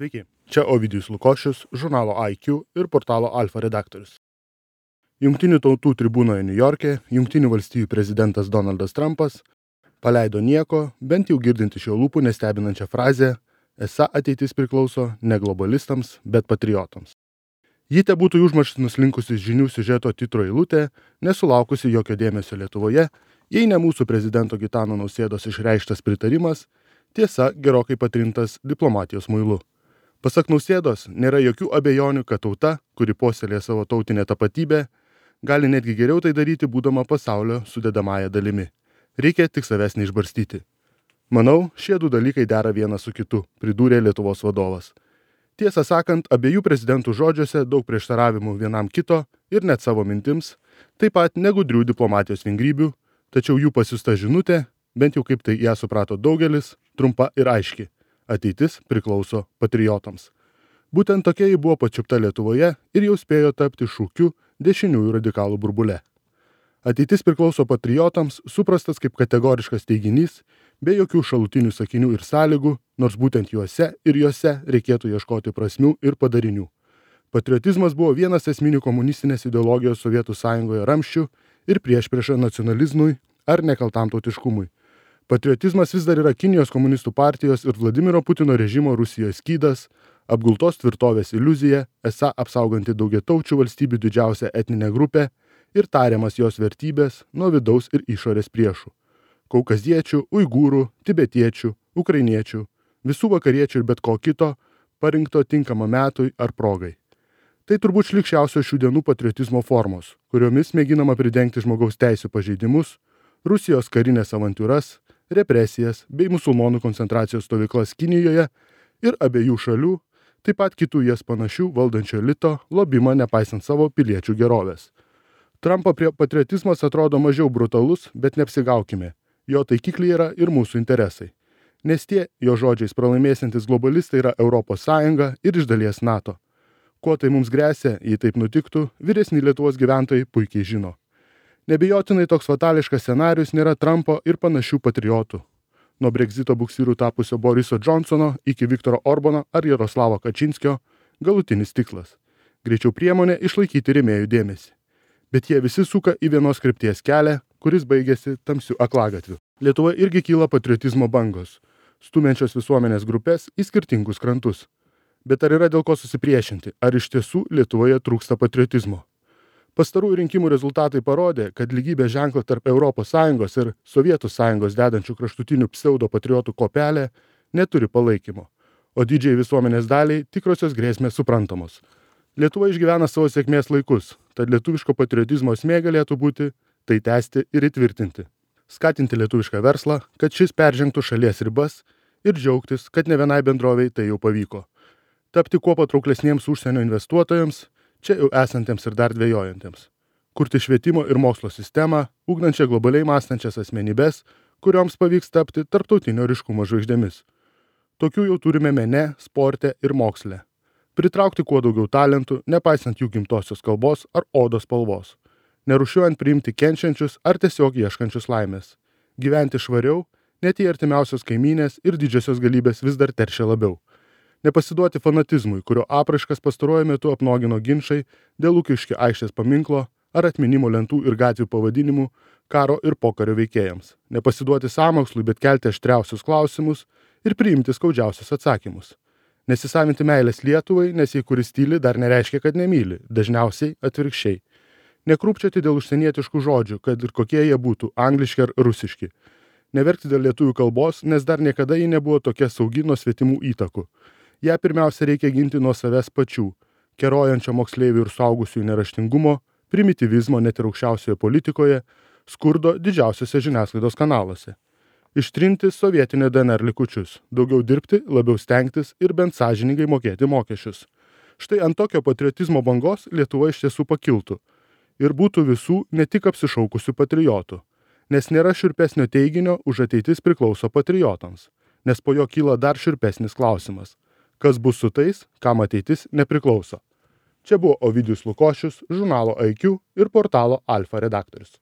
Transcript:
Sveiki, čia Ovidijus Lukošius, žurnalo IQ ir portalo Alfa redaktorius. Jungtinių tautų tribūnoje Niujorke Jungtinių valstijų prezidentas Donaldas Trumpas paleido nieko, bent jau girdint iš jo lūpų nestebinančią frazę, esą ateitis priklauso ne globalistams, bet patriotams. Ji te būtų užmarštis nuslinkusi žinių siužeto titro eilutė, nesulaukusi jokio dėmesio Lietuvoje, jei ne mūsų prezidento Gitano Nausėdos išreikštas pritarimas, tiesa gerokai patrintas diplomatijos muilu. Pasak Nausėdos, nėra jokių abejonių, kad tauta, kuri puoselėja savo tautinę tapatybę, gali netgi geriau tai daryti būdama pasaulio sudedamąja dalimi. Reikia tik savęs neišbarstyti. Manau, šie du dalykai dera vienas su kitu, pridūrė Lietuvos vadovas. Tiesą sakant, abiejų prezidentų žodžiuose daug prieštaravimų vienam kito ir net savo mintims, taip pat negudrių diplomatijos vingrybių, tačiau jų pasiųsta žinutė, bent jau kaip tai ją suprato daugelis, trumpa ir aiški. Ateitis priklauso patriotams. Būtent tokia ji buvo pačiupta Lietuvoje ir jau spėjo tapti šūkiu dešiniųjų radikalų burbule. Ateitis priklauso patriotams suprastas kaip kategoriškas teiginys, be jokių šalutinių sakinių ir sąlygų, nors būtent juose ir juose reikėtų ieškoti prasmių ir padarinių. Patriotizmas buvo vienas esminių komunistinės ideologijos Sovietų Sąjungoje ramščių ir priešprieša nacionalizmui ar nekaltam tautiškumui. Patriotizmas vis dar yra Kinijos komunistų partijos ir Vladimiro Putino režimo Rusijoje skydas, apgultos tvirtovės iliuzija, esą apsauganti daugiataučių valstybių didžiausią etninę grupę ir tariamas jos vertybės nuo vidaus ir išorės priešų – kaukaziečių, uigūrų, tibetiečių, ukrainiečių, visų vakariečių ir bet ko kito, parinkto tinkama metui ar progai. Tai turbūt šlykščiausios šių dienų patriotizmo formos, kuriomis mėginama pridengti žmogaus teisių pažeidimus, Rusijos karinės avantūras, represijas bei musulmonų koncentracijos stovyklas Kinijoje ir abiejų šalių, taip pat kitų jas panašių valdančio elito lobimą nepaisant savo piliečių gerovės. Trumpo patriotizmas atrodo mažiau brutalus, bet neapsigaukime. Jo taikikliai yra ir mūsų interesai. Nes tie, jo žodžiais pralaimėsiantis globalistai yra Europos Sąjunga ir iš dalies NATO. Kuo tai mums gresia, jei taip nutiktų, vyresni Lietuvos gyventojai puikiai žino. Nebijotinai toks fatališkas scenarius nėra Trumpo ir panašių patriotų. Nuo Brexito buksyrų tapusio Boriso Johnsono iki Viktoro Orbano ar Jaroslavo Kačinskio galutinis tikslas. Greičiau priemonė išlaikyti rėmėjų dėmesį. Bet jie visi suka į vienos krypties kelią, kuris baigėsi tamsiu aklagatviu. Lietuvoje irgi kyla patriotizmo bangos, stumiančios visuomenės grupės į skirtingus krantus. Bet ar yra dėl ko susipriešinti? Ar iš tiesų Lietuvoje trūksta patriotizmo? Pastarųjų rinkimų rezultatai parodė, kad lygybės ženklą tarp ES ir Sovietų Sąjungos dedančių kraštutinių pseudo-patriotų kopelė neturi palaikymo, o didžiai visuomenės daliai tikrosios grėsmės suprantamos. Lietuva išgyvena savo sėkmės laikus, tad lietuviško patriotizmo esmė galėtų būti tai tęsti ir įtvirtinti. Skatinti lietuvišką verslą, kad šis peržengtų šalies ribas ir džiaugtis, kad ne vienai bendrovei tai jau pavyko. Tapti kuo patrauklesniems užsienio investuotojams, čia jau esantiems ir dar dvejojantiems. Kurti švietimo ir mokslo sistemą, ugdančią globaliai mąstančias asmenybės, kurioms pavyks tapti tarptautinio ryškumo žvaigždėmis. Tokių jau turime mene, sporte ir moksle. Pritraukti kuo daugiau talentų, nepaisant jų gimtosios kalbos ar odos spalvos. Nerūšiuojant priimti kenčiančius ar tiesiog ieškančius laimės. Gyventi švariau, net jei artimiausios kaimynės ir didžiosios galybės vis dar teršia labiau. Nepasiduoti fanatizmui, kurio apraiškas pastaruoju metu apnogino ginčai dėl Lukiškių aikštės paminklo ar atminimo lentų ir gatvių pavadinimų karo ir pokario veikėjams. Nepasiduoti sąmokslui, bet kelti aštriausius klausimus ir priimti skaudžiausius atsakymus. Nesisavinti meilės Lietuvai, nes jei kuris tyli, dar nereiškia, kad nemyli, dažniausiai atvirkščiai. Nekrūpčioti dėl užsienietiškų žodžių, kad ir kokie jie būtų, angliški ar rusiški. Neverkti dėl lietuvių kalbos, nes dar niekada ji nebuvo tokia saugi nuo svetimų įtakų. Ja pirmiausia reikia ginti nuo savęs pačių, kerojančio moksleivių ir suaugusiųjų neraštingumo, primityvizmo net ir aukščiausioje politikoje, skurdo didžiausiose žiniasklaidos kanaluose. Ištrinti sovietinio DNR likučius, daugiau dirbti, labiau stengtis ir bent sąžiningai mokėti mokesčius. Štai ant tokio patriotizmo bangos Lietuva iš tiesų pakiltų ir būtų visų ne tik apsišaukusių patriotų, nes nėra šiurpesnio teiginio už ateitis priklauso patriotams, nes po jo kyla dar šiurpesnis klausimas. Kas bus su tais, kam ateitis nepriklauso? Čia buvo Ovidijus Lukošius, žurnalo IQ ir portalo Alfa redaktorius.